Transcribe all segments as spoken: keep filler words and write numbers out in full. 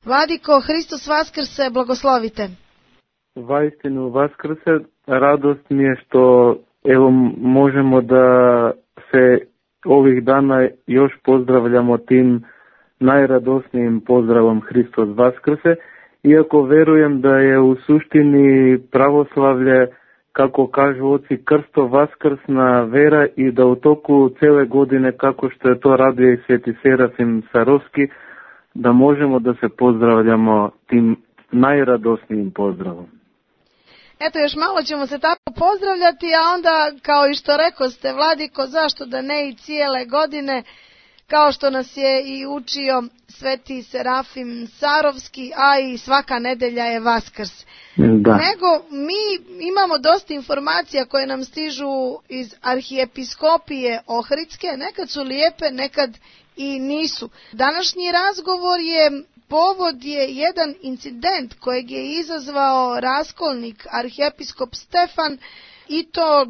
Vladiko, Hristos vaskrse, blagoslovite. Vaistinu vaskrse, radost mi je što evo možemo da se ovih dana još pozdravljamo tim najradosnijim pozdravom Hristos vaskrse, iako verujem da je u suštini pravoslavlje, kako kažu oci, krsto vaskrsna vera i da u toku cele godine, kako što je to radio i sveti Serafim Sarovski, da možemo da se pozdravljamo tim najradosnijim pozdravom. Eto, još malo ćemo se tako pozdravljati, a onda, kao i što rekoste, Vladiko, zašto da ne i cijele godine, kao što nas je i učio sveti Serafim Sarovski, a i svaka nedelja je Vaskrs. Da. Nego mi imamo dosta informacija koje nam stižu iz arhijepiskopije Ohridske, nekad su lijepe, nekad i nisu. Današnji razgovor je, povod je jedan incident kojeg je izazvao raskolnik arhijepiskop Stefan, i to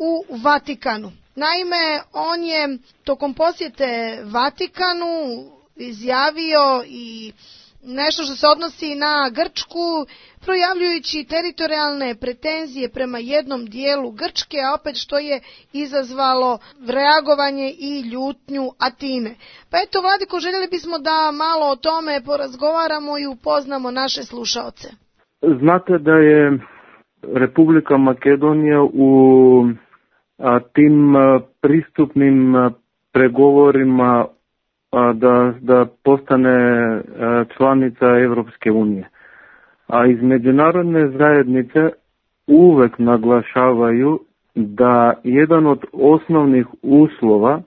u Vatikanu. Naime, on je tokom posjete Vatikanu izjavio i nešto što se odnosi na Grčku, projavljujući teritorijalne pretenzije prema jednom dijelu Grčke, a opet što je izazvalo reagovanje i ljutnju Atine. Pa eto, Vladiko, željeli bismo da malo o tome porazgovaramo i upoznamo naše slušaoce. Znate da je Republika Makedonija u a, tim a, pristupnim a, pregovorima a, da, da postane a, članica Evropske unije. A iz međunarodne zajednice uvek naglašavaju da jedan od osnovnih uslova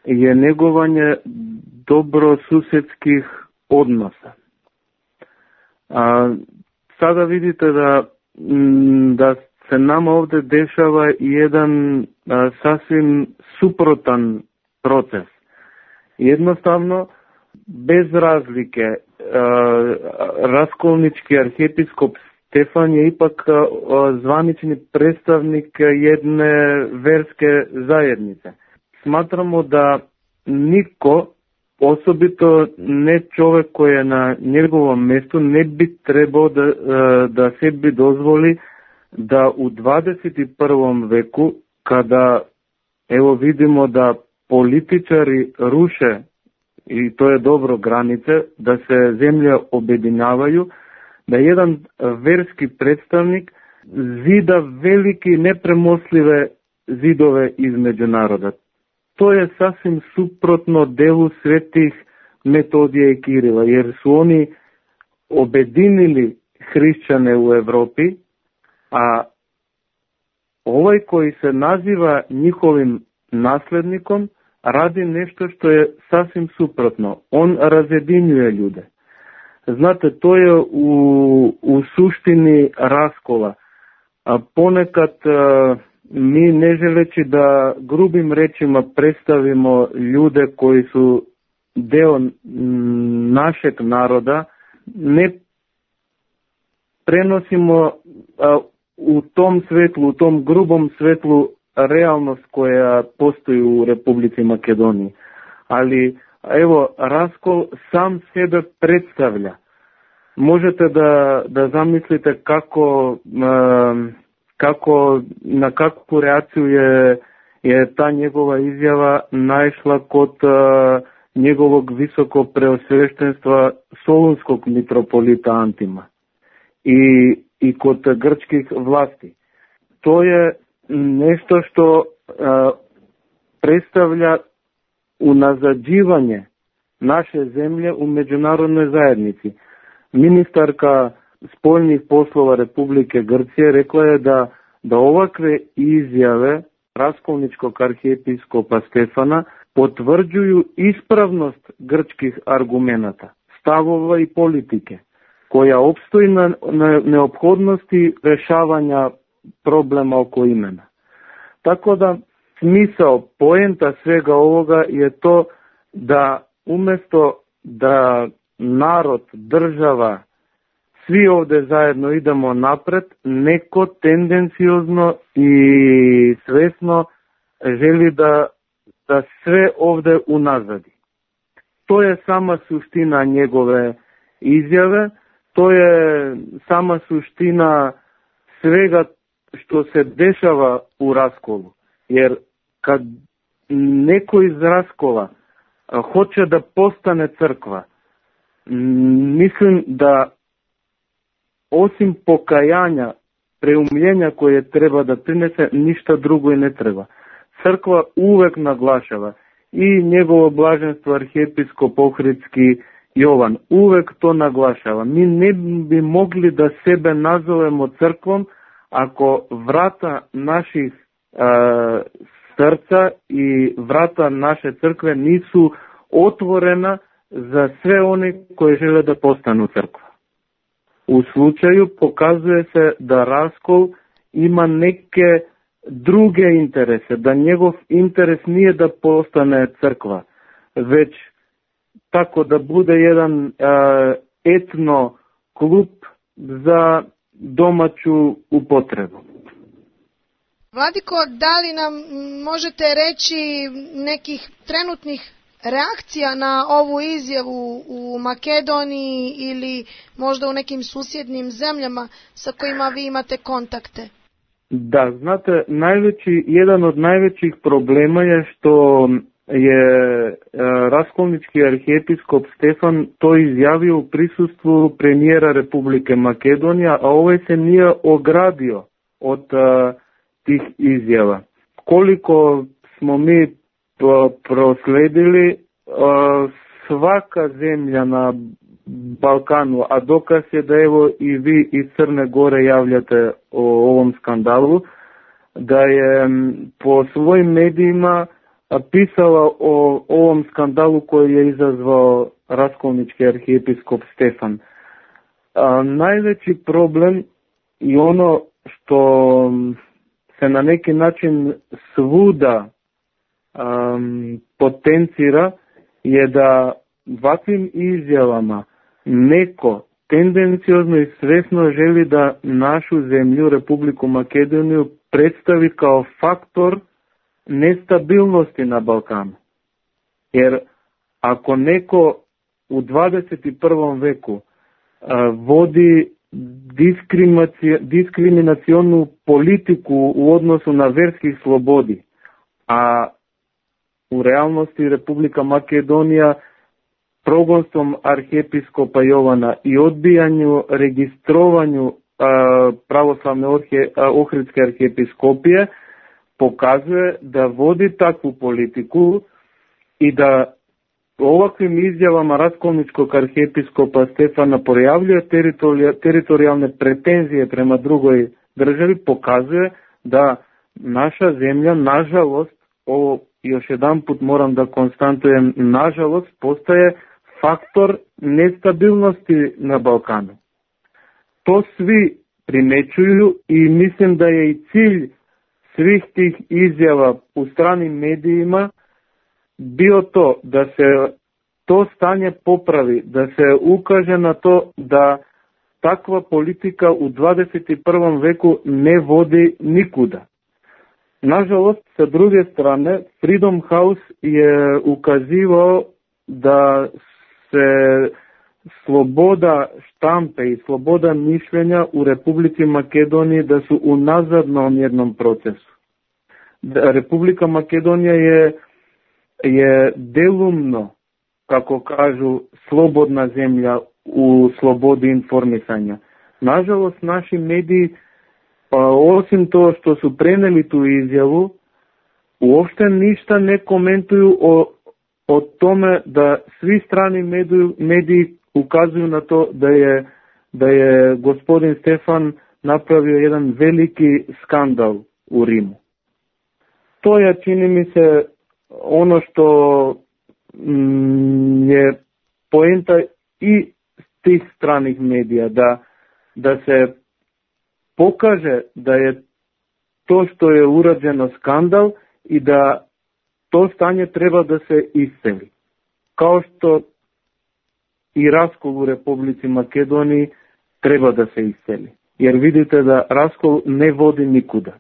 je negovanje dobrosusedskih odnosa. A, sada vidite da, da se nama ovde dešava jedan a, sasvim suprotan proces. Jednostavno, bez razlike, raskolnički arhijepiskop Stefan je ipak zvanični predstavnik jedne verske zajednice. Smatramo da niko, osobito ne čovjek koji je na njegovom mjestu, ne bi trebao da, da sebi dozvoli da u dvadeset prvom veku, kada evo vidimo da političari ruše, i to je dobro, granice, da se zemlje objedinjavaju, da jedan verski predstavnik zida veliki nepremostljive zidove između naroda. To je sasvim suprotno delu svetih Metodija i Kirila, jer su oni objedinili hrišćane u Evropi, a ovaj koji se naziva njihovim naslednikom radi nešto što je sasvim suprotno. On razjedinjuje ljude. Znate, to je u, u suštini raskola. A ponekad a, mi, ne želeći da grubim rečima predstavimo ljude koji su deo m, našeg naroda, ne prenosimo a, u tom svetlu, u tom grubom svetlu realnost koja postoji u Republici Makedoniji. Ali, evo, raskol sam sebe predstavlja. Možete da, da zamislite kako, kako, na kakvu reakciju je, je ta njegova izjava naišla kod njegovog visoko preosveštenstva solunskog mitropolita Antima i, i kod grčkih vlasti. To je nešto što a, predstavlja unazađivanje naše zemlje u međunarodnoj zajednici. Ministarka spoljnih poslova Republike Grčke rekla je da, da ovakve izjave raskolničkog arhijepiskopa Stefana potvrđuju ispravnost grčkih argumenata, stavova i politike, koja opstoji na, na neophodnosti rešavanja problema oko imena. Tako da smisao, poenta svega ovoga je to da umjesto da narod, država, svi ovdje zajedno idemo napred, neko tendenciozno i svesno želi da, da sve ovdje unazadi. To je sama suština njegove izjave, to je sama suština svega što se dešava u raskolu. Jer kad neko iz raskola hoće da postane crkva, mislim da osim pokajanja, preumljenja koje treba da prinese, ništa drugo i ne treba. Crkva uvek naglašava, i njegovo blaženstvo arhijepiskop Ohridski Jovan uvek to naglašava. Mi ne bi mogli da sebe nazovemo crkvom ako vrata naših a, srca i vrata naše crkve nisu otvorena za sve one koji žele da postanu crkva. U slučaju pokazuje se da raskol ima neke druge interese, da njegov interes nije da postane crkva, već tako da bude jedan uh, etno klub za domaću upotrebu. Vladiko, da li nam možete reći nekih trenutnih reakcija na ovu izjavu u Makedoniji ili možda u nekim susjednim zemljama sa kojima vi imate kontakte? Da, znate, najveći, jedan od najvećih problema je što je raskolnički arhijepiskop Stefan to izjavio u prisustvu premijera Republike Makedonija, a ovaj se nije ogradio od uh, tih izjava. Koliko smo mi prosledili, uh, svaka zemlja na Balkanu, a dokaz je da evo i vi iz Crne Gore javljate o ovom skandalu, da je po svojim medijima pisala o ovom skandalu koji je izazvao raskolnički arhijepiskop Stefan. A, najveći problem i ono što se na neki način svuda um, potencira je da ovakvim izjavama neko tendenciozno i svesno želi da našu zemlju, Republiku Makedoniju, predstavi kao faktor nestabilnosti na Balkanu. Jer ako neko u dvadeset prvom veku a, vodi diskriminacionu politiku u odnosu na verskih slobodi, a u realnosti Republika Makedonija progonstvom arhijepiskopa Jovana i odbijanju, registrovanju a, pravoslavne orhe, a, ohridske arhijepiskopije pokazuje da vodi takvu politiku i da ovakvim izjavama raskolničkog arhijepiskopa Stefana projavljuje teritorijalne pretenzije prema drugoj državi, pokazuje da naša zemlja, nažalost, ovo još jedan put moram da konstatujem, nažalost, postaje faktor nestabilnosti na Balkanu. To svi primećuju i mislim da je i cilj svih tih izjava u stranim medijima bio to da se to stanje popravi, da se ukaže na to da takva politika u dvadeset prvom veku ne vodi nikuda. Nažalost, sa druge strane, Freedom House je ukazivao da se sloboda štampe i sloboda mišljenja u Republici Makedoniji da su u nazadnom jednom procesu. Da Republika Makedonija je, je delumno, kako kažu, slobodna zemlja u slobodi informisanja. Nažalost, naši mediji, pa osim to što su preneli tu izjavu, uopšte ništa ne komentuju o, o tome da svi strani mediji, mediji ukazuju na to da je, da je gospodin Stefan napravio jedan veliki skandal u Rimu. To je, čini mi se, ono što mm, je poenta i tih stranih medija, da, da se pokaže da je to što je urađeno skandal i da to stanje treba da se isceli. Kao što i raskol u Republici Makedoniji treba da se isceli. Jer vidite da raskol ne vodi nikuda.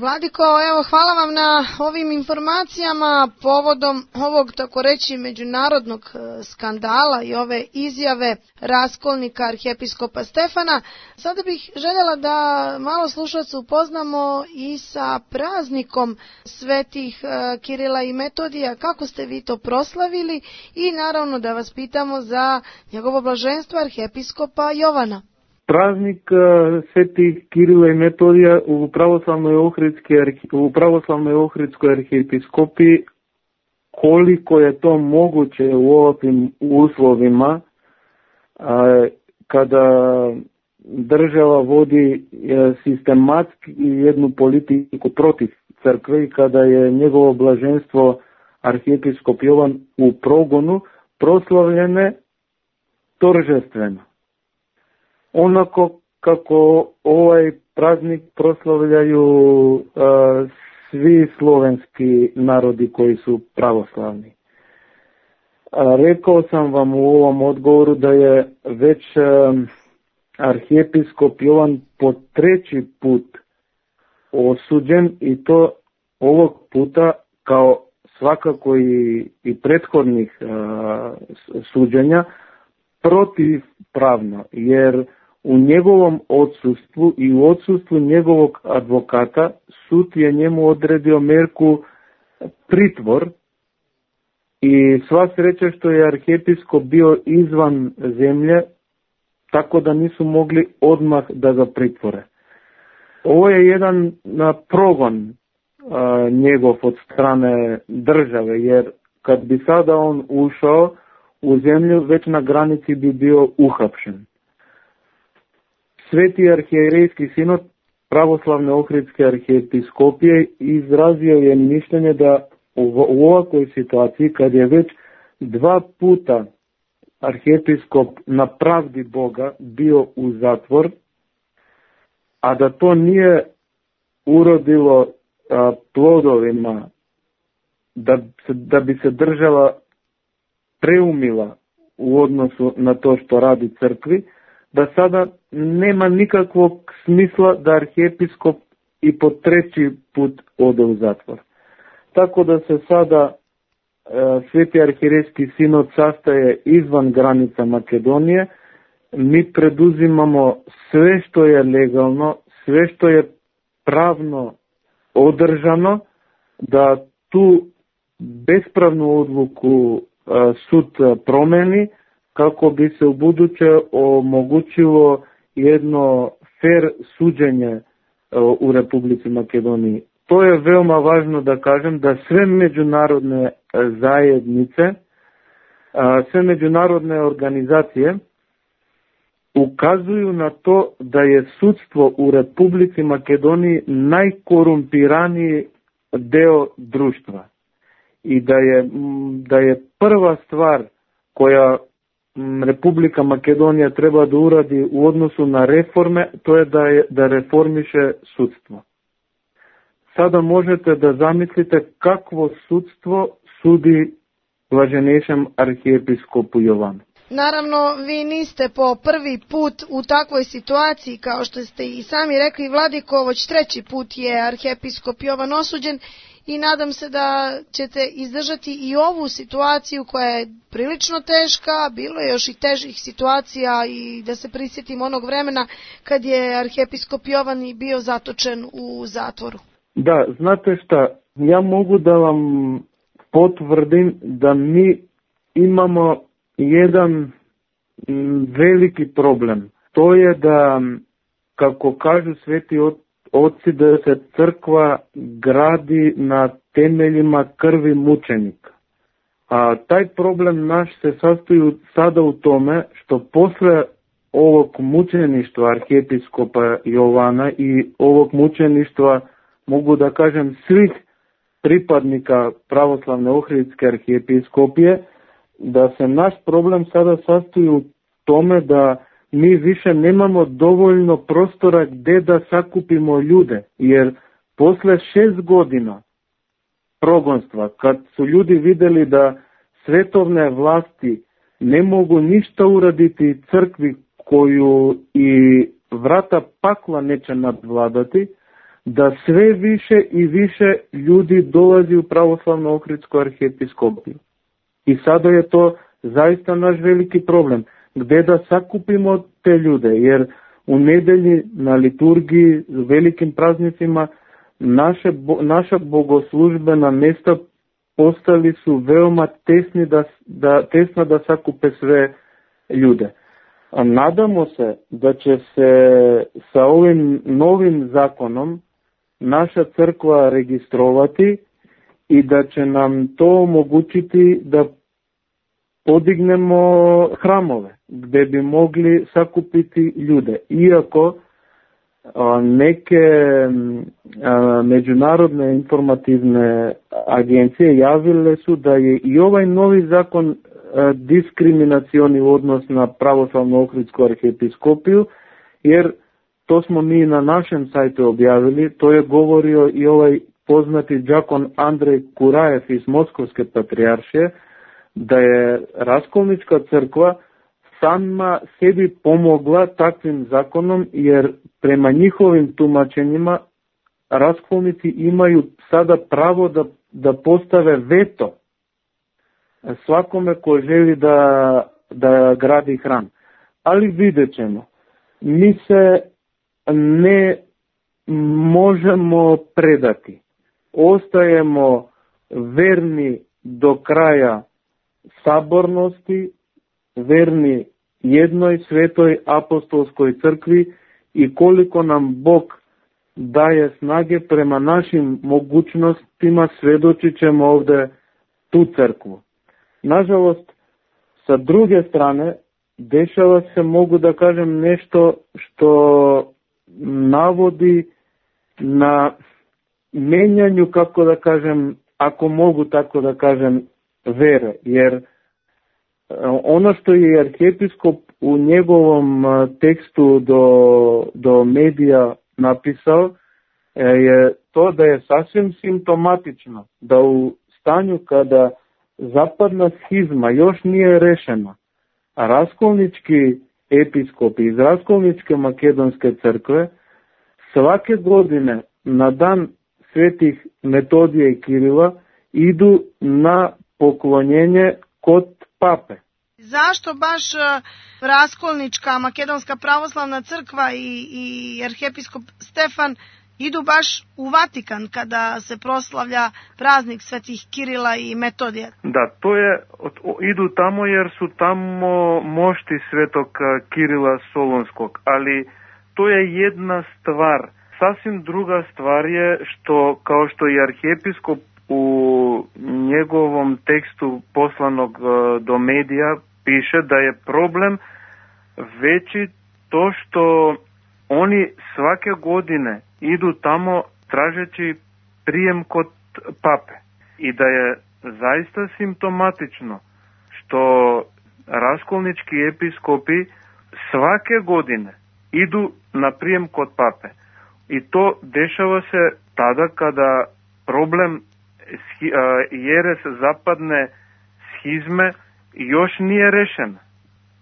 Vladiko, evo, hvala vam na ovim informacijama povodom ovog, tako reći, međunarodnog skandala i ove izjave raskolnika arhijepiskopa Stefana. Sada bih željela da malo slušaoca upoznamo i sa praznikom svetih Kirila i Metodija, kako ste vi to proslavili, i naravno da vas pitamo za njegovo blaženstvo arhijepiskopa Jovana. Praznik svetih Kirila i Metodija u pravoslavnoj ohridskoj u pravoslavnoj ohridskoj arhijepiskopiji, koliko je to moguće u ovakvim uslovima, kada država vodi sistematski jednu politiku protiv crkve i kada je njegovo blaženstvo arhijepiskop Jovan u progonu, proslavljene торжествено. Onako kako ovaj praznik proslavljaju a, svi slovenski narodi koji su pravoslavni. A, rekao sam vam u ovom odgovoru da je već a, arhijepiskop Jovan po treći put osuđen, i to ovog puta kao svakako i, i prethodnih a, suđenja protivpravno, jer u njegovom odsustvu i u odsustvu njegovog advokata sud je njemu odredio merku pritvor, i sva sreća što je arhijepiskop bio izvan zemlje, tako da nisu mogli odmah da ga pritvore. Ovo je jedan progon a, njegov od strane države, jer kad bi sada on ušao u zemlju, već na granici bi bio uhapšen. Sveti arhijerejski sinod pravoslavne ohridske arhijepiskopije izrazio je mišljenje da u, u ovakvoj situaciji, kad je već dva puta arhijepiskop na pravdi Boga bio u zatvor, a da to nije urodilo a, plodovima, da, da bi se država preumila u odnosu na to što radi crkvi, da sada nema nikakvog smisla da arhijepiskop i po treći put ode u zatvor. Tako da se sada e, Sveti arhijerejski sinod sastaje izvan granica Makedonije. Mi preduzimamo sve što je legalno, sve što je pravno održano, da tu bespravnu odluku e, sud promeni, kako bi se u buduće omogućilo jedno fair suđenje u Republici Makedoniji. To je veoma važno da kažem, da sve međunarodne zajednice, sve međunarodne organizacije ukazuju na to da je sudstvo u Republici Makedoniji najkorumpiraniji deo društva i da je, da je prva stvar koja Republika Makedonija treba da uradi u odnosu na reforme, to je da, je, da reformiše sudstvo. Sada možete da zamislite kakvo sudstvo sudi blaženejšem arhijepiskopu Jovanu. Naravno, vi niste po prvi put u takvoj situaciji, kao što ste i sami rekli, Vladiko, već treći put je arhijepiskop Jovan osuđen, i nadam se da ćete izdržati i ovu situaciju koja je prilično teška. Bilo je još i težih situacija, i da se prisjetim onog vremena kad je arhijepiskop Jovan bio zatočen u zatvoru. Da, znate šta, ja mogu da vam potvrdim da mi imamo jedan veliki problem. To je da, kako kažu sveti oci, da se crkva gradi na temeljima krvi mučenika. A taj problem naš se sastoji sada u tome što posle ovog mučeništva arhijepiskopa Jovana i ovog mučeništva, mogu da kažem, svih pripadnika pravoslavne ohridske arhijepiskopije, da se naš problem sada sastoji u tome da mi više nemamo dovoljno prostora gde da sakupimo ljude, jer posle šest godina progonstva, kad su ljudi videli da svetovne vlasti ne mogu ništa uraditi crkvi koju i vrata pakla neće nadvladati, da sve više i više ljudi dolazi u pravoslavnu Ohridsku arhiepiskopiju. I sada je to zaista naš veliki problem. Gde da sakupimo te ljude, jer u nedelji na liturgiji, velikim praznicima, naše, naša bogoslužbena mesta postali su veoma tesni da, da, tesna da sakupe sve ljude. A nadamo se da će se sa ovim novim zakonom naša crkva registrovati i da će nam to omogućiti da podignemo hramove gde bi mogli sakupiti ljude. Iako a, neke a, međunarodne informativne agencije javile su da je i ovaj novi zakon a, diskriminacioni odnos na pravoslavnu Ohridsku arhiepiskopiju, jer to smo mi na našem sajtu objavili, to je govorio i ovaj poznati đakon Andrej Kurajev iz Moskovske patrijaršije, da je Raskolnička crkva sama sebi pomogla takvim zakonom, jer prema njihovim tumačenjima raskolnici imaju sada pravo da, da postave veto svakome ko želi da, da gradi hram. Ali vidjet ćemo. Mi se ne možemo predati. Ostajemo verni do kraja sabornosti, verni jednoj svetoj apostolskoj crkvi i koliko nam Bog daje snage prema našim mogućnostima, svedočit ćemo ovde tu crkvu. Nažalost, sa druge strane, dešava se, mogu da kažem, nešto što navodi na menjanju, kako da kažem, ako mogu tako da kažem, vere, jer ono što je arhiepiskop u njegovom tekstu do, do medija napisao je to da je sasvim simptomatično da u stanju kada zapadna schizma još nije rešena, a raskolnički episkopi iz Raskolničke makedonske crkve svake godine na dan svetih Metodija i Kirila idu na poklonjenje kod pape. Zašto baš Raskolnička makedonska pravoslavna crkva i, i arhiepiskop Stefan idu baš u Vatikan kada se proslavlja praznik svetih Kirila i Metodija? Da, to je, idu tamo jer su tamo mošti svetog Kirila Solunskog, ali to je jedna stvar. Sasvim druga stvar je što, kao što i arhiepiskop u njegovom tekstu poslanog do medija piše da je problem veći to što oni svake godine idu tamo tražeći prijem kod pape i da je zaista simptomatično što raskolnički episkopi svake godine idu na prijem kod pape i to dešava se tada kada problem jeres zapadne schizme još nije rešen.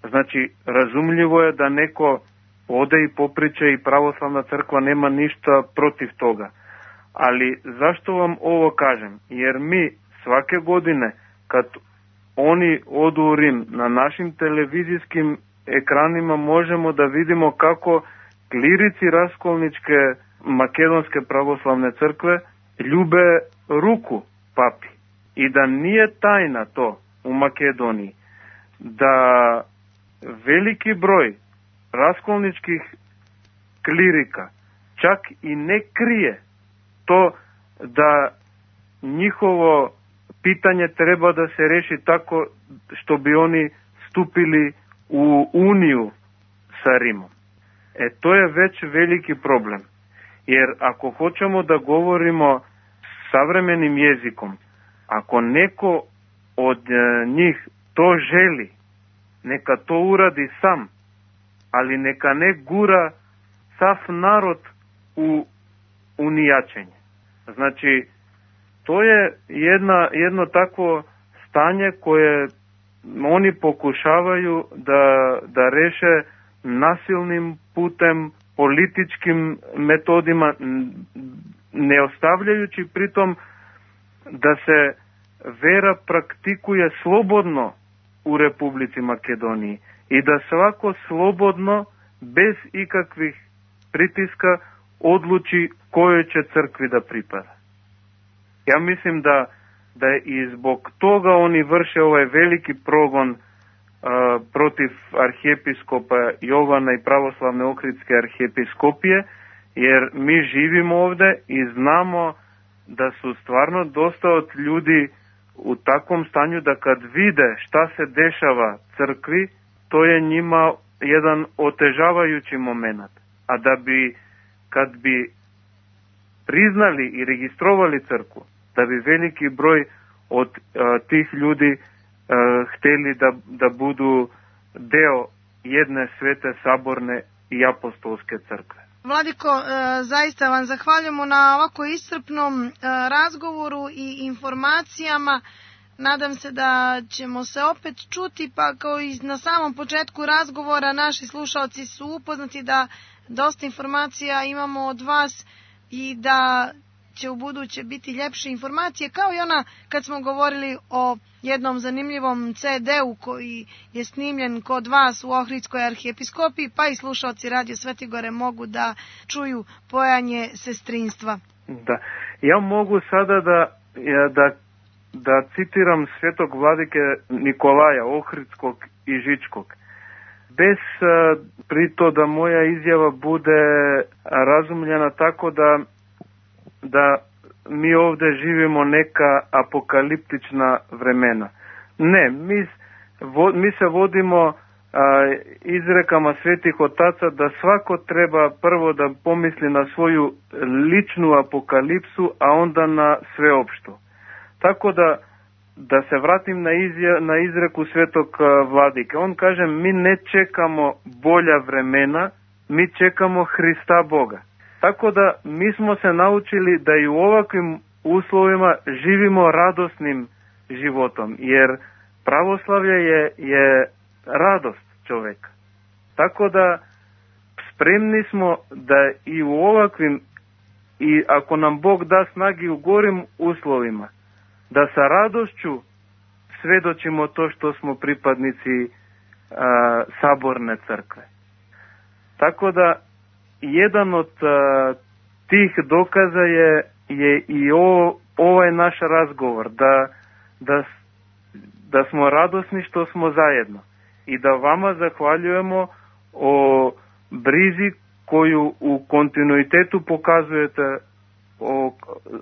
Znači, razumljivo je da neko ode i popriče i pravoslavna crkva nema ništa protiv toga. Ali zašto vam ovo kažem? Jer mi svake godine kad oni odu u Rim na našim televizijskim ekranima možemo da vidimo kako klirici Raskolničke makedonske pravoslavne crkve ljube ruku papi i da nije tajna to u Makedoniji da veliki broj raskolničkih klirika čak i ne krije to da njihovo pitanje treba da se reši tako što bi oni stupili u uniju sa Rimom. E to je već veliki problem. Jer ako hoćemo da govorimo savremenim jezikom, ako neko od njih to želi, neka to uradi sam, ali neka ne gura sav narod u unijačenje. Znači, to je jedna, jedno takvo stanje koje oni pokušavaju da, da reše nasilnim putem, političkim metodima, ne ostavljajući pritom da se vera praktikuje slobodno u Republici Makedoniji i da svako slobodno, bez ikakvih pritiska, odluči kojoj će crkvi da pripada. Ja mislim da, da je i zbog toga oni vrše ovaj veliki progon uh, protiv arhijepiskopa Jovana i pravoslavne Ohridske arhijepiskopije, jer mi živimo ovde i znamo da su stvarno dosta od ljudi u takvom stanju da kad vide šta se dešava crkvi, to je njima jedan otežavajući moment. A da bi, kad bi priznali i registrovali crkvu, da bi veliki broj od uh, tih ljudi uh, hteli da, da budu deo jedne svete, saborne i apostolske crkve. Vladiko, zaista vam zahvaljujemo na ovako iscrpnom razgovoru i informacijama. Nadam se da ćemo se opet čuti, pa kao i na samom početku razgovora naši slušalci su upoznati da dosta informacija imamo od vas i da će u buduće biti ljepše informacije, kao i ona kad smo govorili o jednom zanimljivom ce de-u koji je snimljen kod vas u Ohridskoj arhijepiskopiji, pa i slušalci Radio Svetigore mogu da čuju pojanje sestrinstva. Da, ja mogu sada da, da, da citiram svetog vladike Nikolaja Ohridskog i Žičkog. Bez prito da moja izjava bude razumljena tako da da mi ovde živimo neka apokaliptična vremena. Ne, mi, vo, mi se vodimo a, izrekama svetih otaca da svako treba prvo da pomisli na svoju ličnu apokalipsu, a onda na sveopštu. Tako da, da se vratim na, izja, na izreku svetog vladike. On kaže, mi ne čekamo bolja vremena, mi čekamo Hrista Boga. Tako da mi smo se naučili da i u ovakvim uslovima živimo radosnim životom, jer pravoslavlje je, je radost čoveka. Tako da spremni smo da i u ovakvim, i ako nam Bog da snagi u gorim uslovima, da sa radošću svedočimo to što smo pripadnici a, saborne crkve. Tako da jedan od uh, tih dokaza je, je i o, ovaj naš razgovor, da, da, da smo radosni što smo zajedno i da vama zahvaljujemo o brizi koju u kontinuitetu pokazujete o,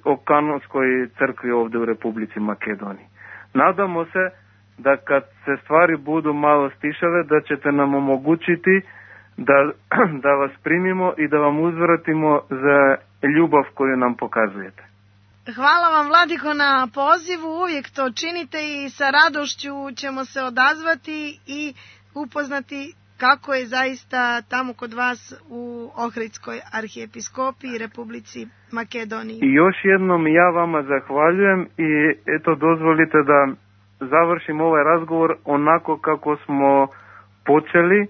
o kanonskoj crkvi ovde u Republici Makedoniji. Nadamo se da kad se stvari budu malo stišale, da ćete nam omogućiti Da, da vas primimo i da vam uzvratimo za ljubav koju nam pokazujete. Hvala vam, Vladiko, na pozivu, uvijek to činite i sa radošću ćemo se odazvati i upoznati kako je zaista tamo kod vas u Ohridskoj arhijepiskopiji Republici Makedoniji. I još jednom ja vama zahvaljujem i eto dozvolite da završim ovaj razgovor onako kako smo počeli,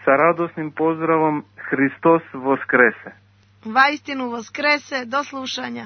sa radosnim pozdravom Hristos Voskrese. Vaistinu Voskrese, do slušanja.